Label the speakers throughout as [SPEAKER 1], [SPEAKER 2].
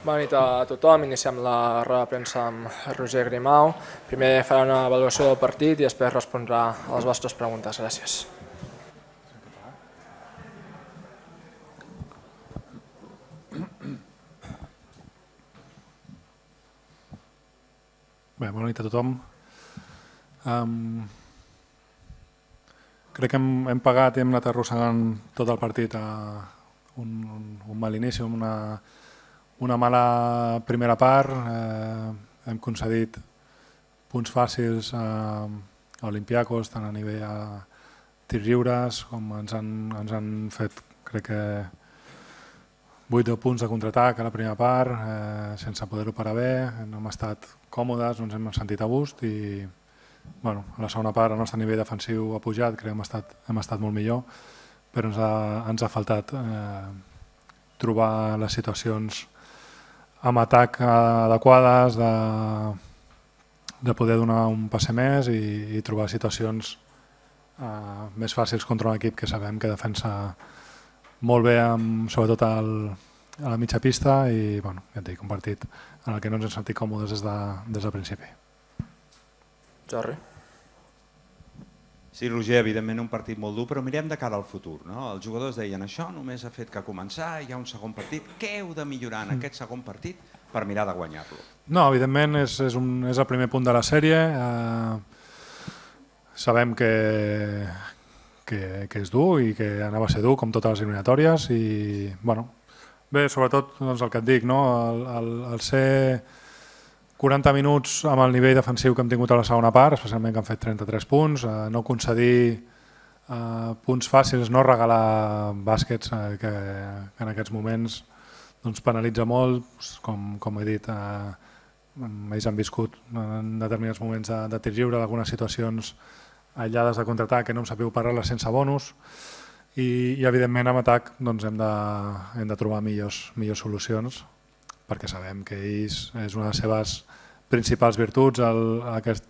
[SPEAKER 1] Bona nit a tothom. Iniciem la roda de premsa amb Roger Grimau. Primer farà una avaluació del partit i després respondrà a les vostres preguntes. Gràcies.
[SPEAKER 2] Bé, bona nit a tothom. Crec que hem pagat i hem anat arrossegant tot el partit a un mal inici, una mala primera part. Hem concedit punts fàcils a Olympiacos, tant a nivell a tirs lliures, com ens han fet, crec que 8 o 10 punts de contraatac a la primera part, sense poder-ho parar bé. No hem estat còmodes, no ens hem sentit a gust i a la segona part el nostre nivell defensiu ha pujat, crec que hem estat molt millor, però ens ha faltat trobar les situacions amb atac adequades, de poder donar un passe més i trobar situacions més fàcils contra un equip que sabem que defensa molt bé, sobretot a la mitja pista, i ja et dic, un partit en el que no ens hem sentit còmodes des del principi.
[SPEAKER 1] Jordi.
[SPEAKER 3] Sí, Roger, evidentment un partit molt dur, però mirem de cara al futur. Els jugadors deien això només ha fet que començar, hi ha un segon partit. Què heu de millorar en aquest segon partit per mirar de guanyar-lo?
[SPEAKER 2] No, evidentment és el primer punt de la sèrie. Sabem que és dur i que anava a ser dur, com totes les eliminatòries. I, bé, sobretot el que et dic, el ser 40 minuts amb el nivell defensiu que hem tingut a la segona part, especialment que han fet 33 punts, no concedir punts fàcils, no regalar bàsquets, que en aquests moments penalitza molt. Com he dit, ells han viscut en determinats moments de tir lliure, d'algunes situacions aïllades de contraatac que no hem sabut parar-les sense bonus, i evidentment amb atac hem de trobar millors solucions, perquè sabem que ells és una de les seves principals virtuts, aquest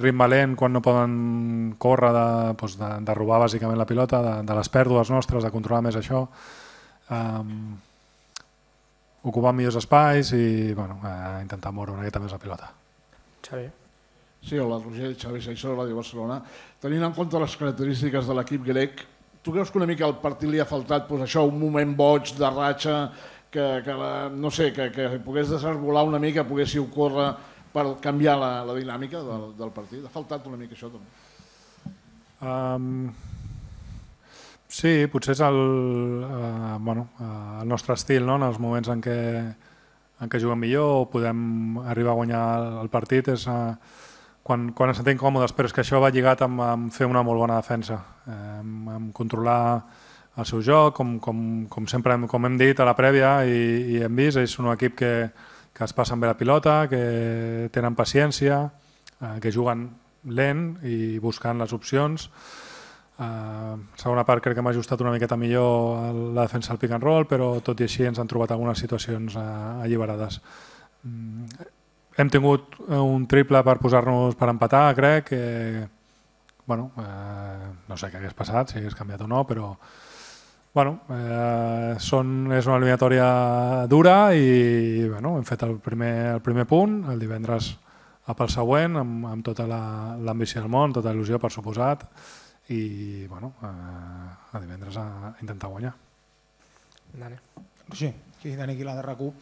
[SPEAKER 2] ritme lent quan no poden córrer, de robar bàsicament la pilota, de les pèrdues nostres, de controlar més això, ocupar millors espais i intentar moure una miqueta més la pilota.
[SPEAKER 1] Xavi.
[SPEAKER 4] Sí, hola, Roger, Xavi Seixó, Ràdio Barcelona. Tenint en compte les característiques de l'equip grec, tu creus que una mica al partit li ha faltat un moment boig de ratxa, que pogués desarbolar una mica, poguéssiu córrer per canviar la dinàmica del partit? Ha faltat una mica això també?
[SPEAKER 2] Sí, potser és el nostre estil, en els moments en què juguem millor o podem arribar a guanyar el partit, és quan ens sentim còmodes, però és que això va lligat amb fer una molt bona defensa, amb controlar el seu joc, com sempre hem dit a la prèvia i hem vist. Ells són un equip que es passen bé la pilota, que tenen paciència, que juguen lent i buscant les opcions. Segona part crec que m'ha ajustat una miqueta millor la defensa del pick and roll, però tot i així ens han trobat algunes situacions alliberades. Hem tingut un triple per posar-nos per empatar, crec. No sé què hagués passat, si hagués canviat o no, però és una eliminatòria dura i hem fet el primer punt. El divendres pel següent, amb tota l'ambició del món, tota il·lusió, per suposat, i el divendres a intentar guanyar.
[SPEAKER 1] Dani.
[SPEAKER 5] Sí, Dani Aguilar de RAC1.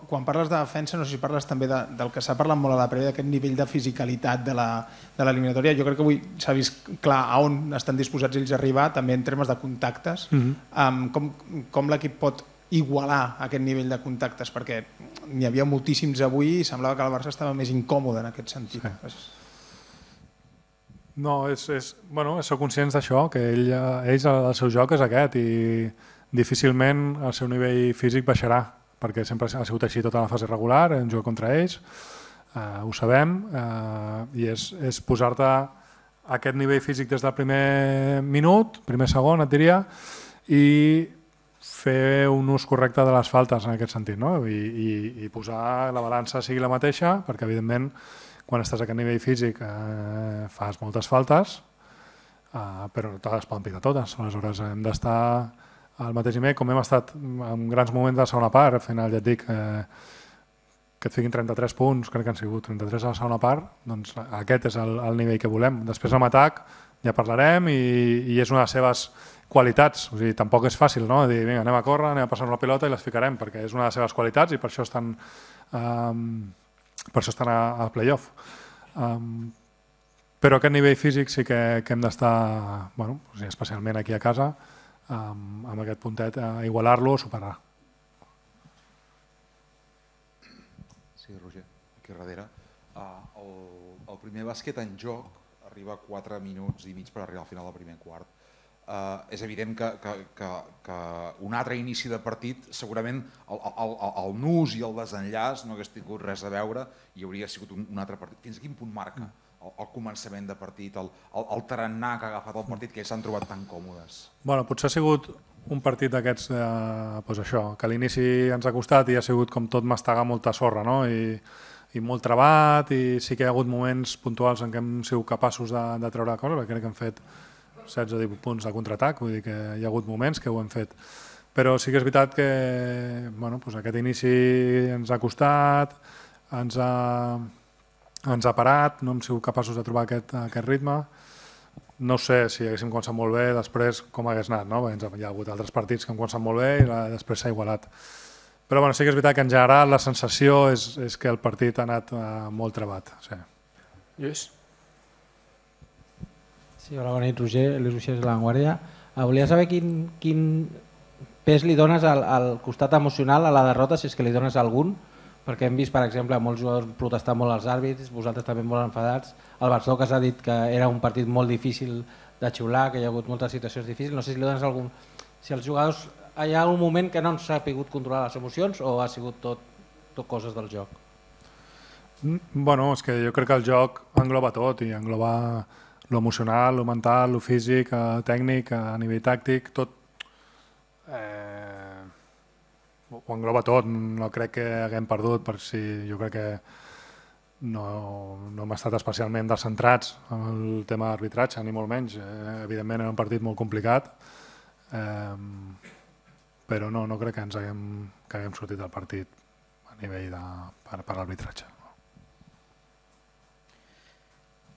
[SPEAKER 5] Quan parles de defensa, no sé si parles també del que s'ha parlat molt a la prèvia, d'aquest nivell de fisicalitat de l'eliminatòria. Jo crec que avui s'ha vist clar a on estan disposats ells a arribar, també en termes de contactes. Com l'equip pot igualar aquest nivell de contactes? Perquè n'hi havia moltíssims avui i semblava que el Barça estava més incòmode en aquest sentit.
[SPEAKER 2] No, sou conscients d'això, que ells el seu joc és aquest i difícilment el seu nivell físic baixarà, perquè sempre ha sigut així tota la fase regular, hem jugat contra ells, ho sabem, i és posar-te aquest nivell físic des del primer minut, primer segon, et diria, i fer un ús correcte de les faltes en aquest sentit, i posar la balança sigui la mateixa, perquè evidentment quan estàs a aquest nivell físic fas moltes faltes, però no te les poden picar totes. Aleshores hem d'estar al mateix nivell, com hem estat en grans moments de la segona part, al final ja et dic que et fiquin 33 punts, crec que han sigut 33 a la segona part, doncs aquest és el nivell que volem. Després amb atac ja parlarem i és una de les seves qualitats, o sigui, tampoc és fàcil, no? Dir, vinga, anem a córrer, anem a passar una pilota i les ficarem, perquè és una de les seves qualitats i per això estan al play-off. Però aquest nivell físic sí que hem d'estar, bueno, especialment aquí a casa, amb aquest puntet, a igualar-lo o superar.
[SPEAKER 6] Sí, Roger, aquí darrere. El primer bàsquet en joc arriba a 4 minuts i mig per arribar al final del primer quart. És evident que un altre inici de partit, segurament el nus i el desenllaç no hagués tingut res a veure i hauria sigut un altre partit. Fins a quin punt marca el començament de partit, el tarannà que ha agafat el partit, que ells s'han trobat tan còmodes?
[SPEAKER 2] Bueno, potser ha sigut un partit d'aquests, doncs això, que a l'inici ens ha costat i ha sigut com tot mastegar molta sorra, no? I molt trebat, i sí que hi ha hagut moments puntuals en què hem sigut capaços de treure coses, perquè crec que hem fet 16 o 18 punts de contraatac, vull dir que hi ha hagut moments que ho hem fet. Però sí que és veritat que bueno, doncs aquest inici ens ha costat, ens ha parat, no hem sigut capaços de trobar aquest ritme. No sé si haguéssim començat molt bé, després com hagués anat, no? Perquè hi ha hagut altres partits que han començat molt bé i després s'ha igualat. Però bueno, sí que és veritat que en general la sensació és que el partit ha anat molt trebat. Sí.
[SPEAKER 1] Lluís?
[SPEAKER 7] Sí, hola, bona nit, Roger, Lluís Uixés de La Vanguardia. Volia saber quin pes li dones al costat emocional a la derrota, si és que li dones algun, perquè hem vist, per exemple, molts jugadors protestar molt als àrbits, vosaltres també molt enfadats. El Barcelona que s'ha dit que era un partit molt difícil de xiular, que hi ha hagut moltes situacions difícils. No sé si li dones algun... Si els jugadors hi ha algun moment que no ens ha pogut controlar les emocions o ha sigut tot coses del joc?
[SPEAKER 2] Bueno, és que jo crec que el joc engloba tot i engloba l'emocional, lo mental, lo físic, tècnic, a nivell tàctic, tot ho engloba tot. No crec que haguem perdut, per si jo crec que no hem estat especialment descentrats en el tema d'arbitratge, ni molt menys. Evidentment era un partit molt complicat, però no crec que haguem sortit del partit a nivell per arbitratge.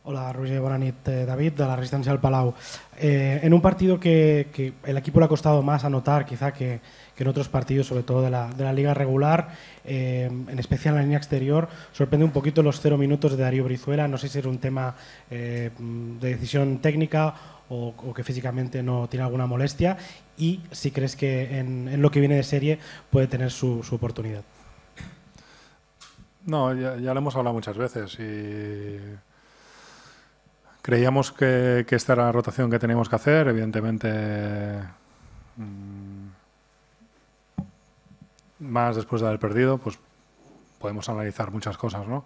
[SPEAKER 8] Hola Roger, buena nit. David, de la Resistencia del Palau. En un partido que el equipo le ha costado más anotar quizá que en otros partidos, sobre todo de la liga regular, en especial en la línea exterior, sorprende un poquito los 0 minutos de Darío Brizuela. No sé si era un tema de decisión técnica o que físicamente no tiene alguna molestia, y si crees que en lo que viene de serie puede tener su oportunidad.
[SPEAKER 2] No, ya lo hemos hablado muchas veces y creíamos que esta era la rotación que teníamos que hacer. Evidentemente, más después de haber perdido, pues podemos analizar muchas cosas, ¿no?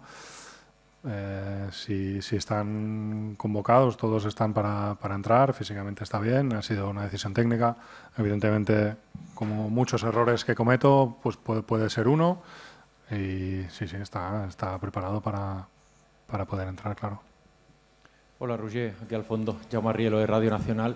[SPEAKER 2] Si están convocados, todos están para entrar, físicamente está bien, ha sido una decisión técnica. Evidentemente, como muchos errores que cometo, pues puede ser uno, y sí, está preparado para poder entrar, claro.
[SPEAKER 9] Hola Roger, aquí al fondo, Jaume Rielo de Radio Nacional.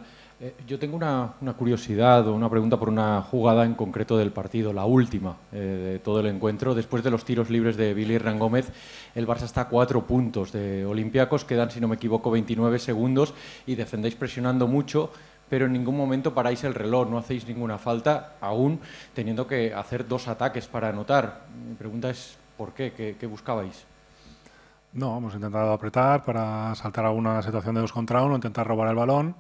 [SPEAKER 9] Yo tengo una curiosidad o una pregunta por una jugada en concreto del partido, la última de todo el encuentro. Después de los tiros libres de Billy Hernán Gómez, el Barça está a 4 puntos de Olympiacos, quedan, si no me equivoco, 29 segundos y defendéis presionando mucho, pero en ningún momento paráis el reloj, no hacéis ninguna falta, aún teniendo que hacer 2 ataques para anotar. Mi pregunta es, ¿por qué? ¿Qué buscabais?
[SPEAKER 2] No, hemos intentado apretar para saltar a una situación de 2 contra 1, intentar robar el balón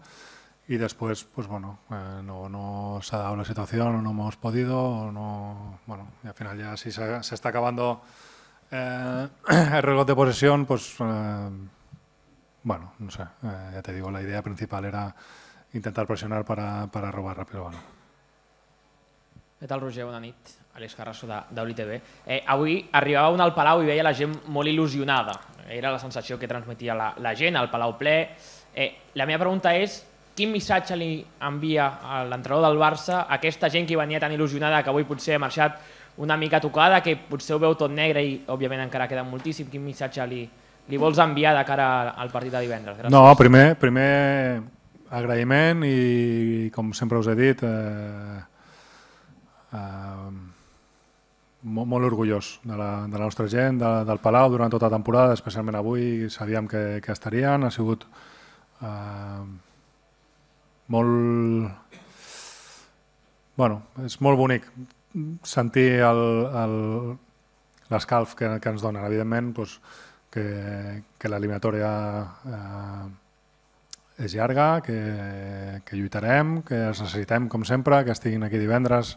[SPEAKER 2] y después, pues bueno, no se ha dado la situación, no hemos podido, bueno, y al final ya si se está acabando el reloj de posesión, pues bueno, no sé, ya te digo, la idea principal era intentar presionar para robar rápido el balón.
[SPEAKER 10] Què tal, Roger? Bona nit. Àlex Carrasco d'UliTV. Avui arribava un al Palau i veia la gent molt il·lusionada. Era la sensació que transmetia la gent, al Palau ple. La meva pregunta és, quin missatge li envia l'entrenador del Barça a aquesta gent que venia tan il·lusionada, que avui potser ha marxat una mica tocada, que potser ho veu tot negre i òbviament encara queda moltíssim? Quin missatge li vols enviar de cara al partit de divendres? Gràcies.
[SPEAKER 2] No, primer agraïment i, com sempre us he dit, molt orgullós de la nostra gent, del Palau durant tota la temporada, especialment avui sabíem que estarien, ha sigut molt... Bueno, és molt bonic sentir l'escalf que ens donen. Evidentment, que l'eliminatòria és llarga, que lluitarem, que els necessitem com sempre, que estiguin aquí divendres,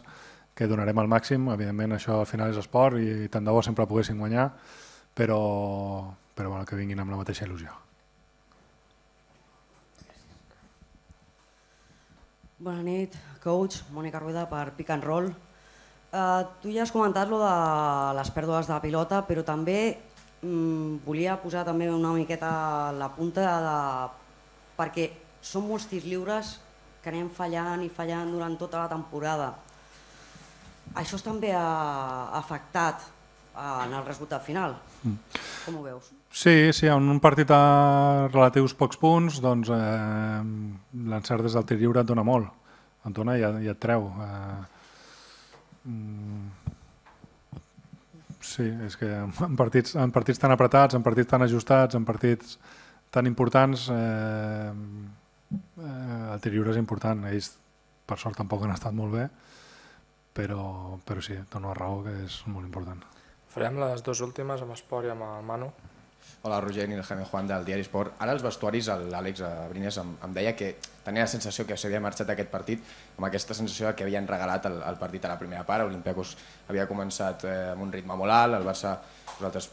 [SPEAKER 2] que donarem el màxim. Evidentment això al final és esport i tant de bo sempre poguéssim guanyar, però bueno, que vinguin amb la mateixa il·lusió.
[SPEAKER 11] Bona nit, coach. Mònica Rueda per Pick and Roll. Tu ja has comentat lo de les pèrdues de pilota, però també volia posar també una miqueta la punta perquè són molts tirs lliures que anem fallant i fallant durant tota la temporada. Això també ha afectat en el resultat final. Com ho veus?
[SPEAKER 2] Sí, en un partit a relatius pocs punts, doncs l'encert des del tir lliure et dona molt. Et dona i et treu. Sí, és que en partits tan apretats, en partits tan ajustats, en partits tan importants, el tir lliure és important. Ells, per sort, tampoc han estat molt bé, però sí, dono la raó que és molt important.
[SPEAKER 1] Farem les dues últimes amb Esport i amb el Manu.
[SPEAKER 12] Hola, Roger, Nil Jaime Juan del Diari Esport. Ara als vestuaris l'Àlex Abrines em deia que tenia la sensació que s'havia marxat aquest partit amb aquesta sensació que havien regalat el partit a la primera part. Olympiacos havia començat amb un ritme molt alt, el Barça, vosaltres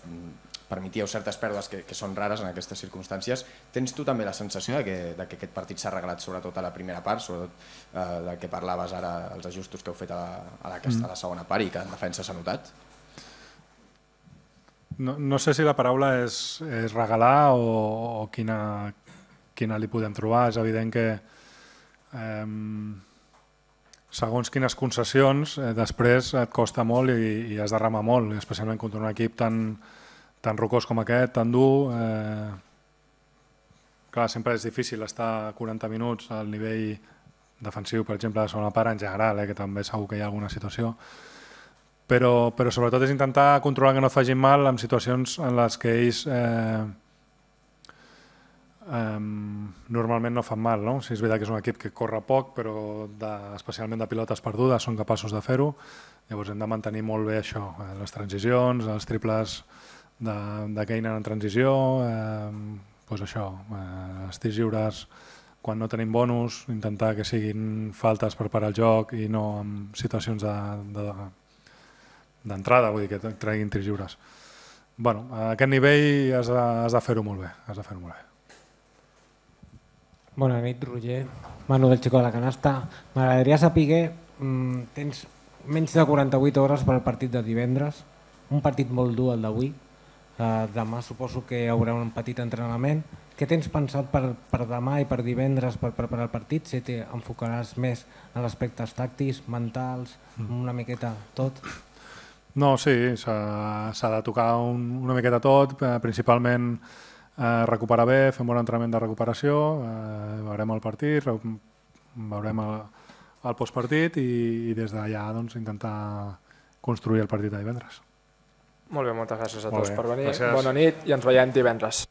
[SPEAKER 12] permetíeu certes pèrdues que són rares en aquestes circumstàncies. Tens tu també la sensació que aquest partit s'ha regalat sobretot a la primera part, sobretot del que parlaves ara, els ajustos que heu fet a la segona part i que en defensa s'ha notat?
[SPEAKER 2] No sé si la paraula és regalar o quina li podem trobar. És evident que segons quines concessions després et costa molt i has de remar molt, especialment contra un equip tan rocós com aquest, tan dur. Clar, sempre és difícil estar 40 minuts al nivell defensiu, per exemple, de la segona part en general, que també segur que hi ha alguna situació. Però sobretot és intentar controlar que no et facin mal en situacions en les que ells normalment no fan mal. No? Si és veritat que és un equip que corre poc, però especialment de pilotes perdudes són capaços de fer-ho. Llavors hem de mantenir molt bé això, les transicions, els triples de Keynan en transició, els tirs lliures quan no tenim bonus, intentar que siguin faltes per parar el joc i no en situacions d'entrada, vull dir que treguin tirs lliures. A aquest nivell has de fer-ho molt bé.
[SPEAKER 7] Bona nit, Roger. Manu del Chico de la Canasta. M'agradaria saber, tens menys de 48 hores per al partit de divendres, un partit molt dur el d'avui. Demà suposo que hi haurà un petit entrenament. Què tens pensat per demà i per divendres per preparar el partit? Si t'enfocaràs més en aspectes tàctics, mentals, una miqueta tot?
[SPEAKER 2] No, sí, s'ha de tocar una miqueta tot, principalment recuperar bé, fer un bon entrenament de recuperació, veurem el partit, veurem el postpartit i des d'allà intentar construir el partit de divendres.
[SPEAKER 1] Molt bé, moltes gràcies a tots per venir.
[SPEAKER 2] Gràcies.
[SPEAKER 1] Bona nit i ens veiem divendres.